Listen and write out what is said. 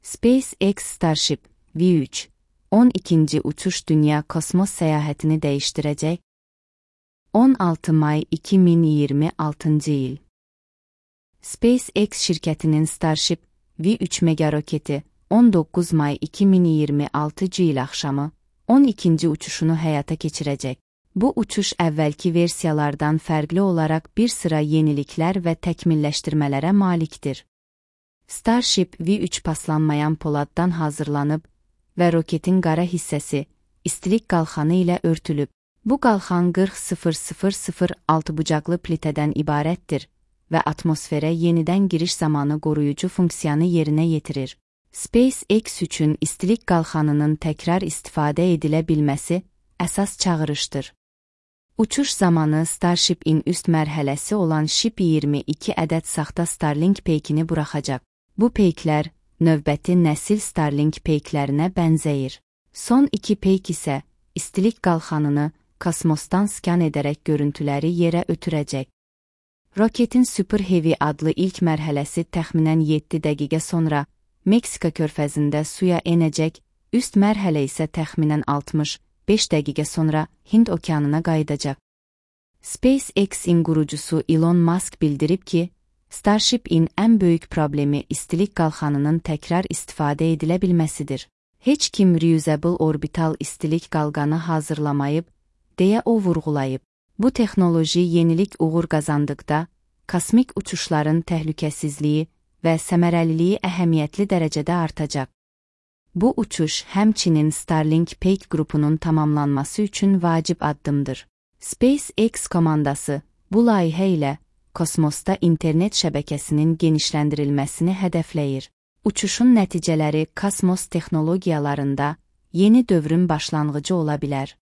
SpaceX Starship V3 12. uçuş dünya kosmos səyahətini dəyişdirəcək. 16 may 2026 il. SpaceX şirkətinin Starship V3 mega roketi 19 may 2026 il axşamı 12. uçuşunu həyata keçirəcək. Bu uçuş əvvəlki versiyalardan fərqli olaraq bir sıra yeniliklər və təkmilləşdirmələrə malikdir. Starship V3 paslanmayan poladdan hazırlanıb və roketin qara hissəsi istilik qalxanı ilə örtülüb. Bu qalxan 40006 bucaqlı plitədən ibarətdir və atmosferə yenidən giriş zamanı qoruyucu funksiyanı yerinə yetirir. SpaceX üçün istilik qalxanının təkrar istifadə edilə bilməsi əsas çağırışdır. Uçuş zamanı Starship-in üst mərhələsi olan Ship 22 ədəd saxta Starlink peykini buraxacaq. Bu peyklər növbəti nəsil Starlink peyklərinə bənzəyir. Son iki peyk isə istilik qalxanını kosmosdan skan edərək görüntüləri yerə ötürəcək. Roketin Super Heavy adlı ilk mərhələsi təxminən 7 dəqiqə sonra Meksika körfəzində suya enəcək, üst mərhələ isə təxminən 65 dəqiqə sonra Hind okeanına qayıdacaq. SpaceX-in qurucusu Elon Musk bildirib ki, Starship-in ən böyük problemi istilik qalxanının təkrar istifadə edilə bilməsidir. Heç kim reusable orbital istilik qalqanı hazırlamayıb, deyə o vurğulayıb. Bu texnoloji yenilik uğur qazandıqda, kosmik uçuşların təhlükəsizliyi və səmərəliliyi əhəmiyyətli dərəcədə artacaq. Bu uçuş həmçinin Starlink peyk qrupunun tamamlanması üçün vacib addımdır. SpaceX komandası bu layihə ilə kosmosda internet şəbəkəsinin genişləndirilməsini hədəfləyir. Uçuşun nəticələri kosmos texnologiyalarında yeni dövrün başlanğıcı ola bilər.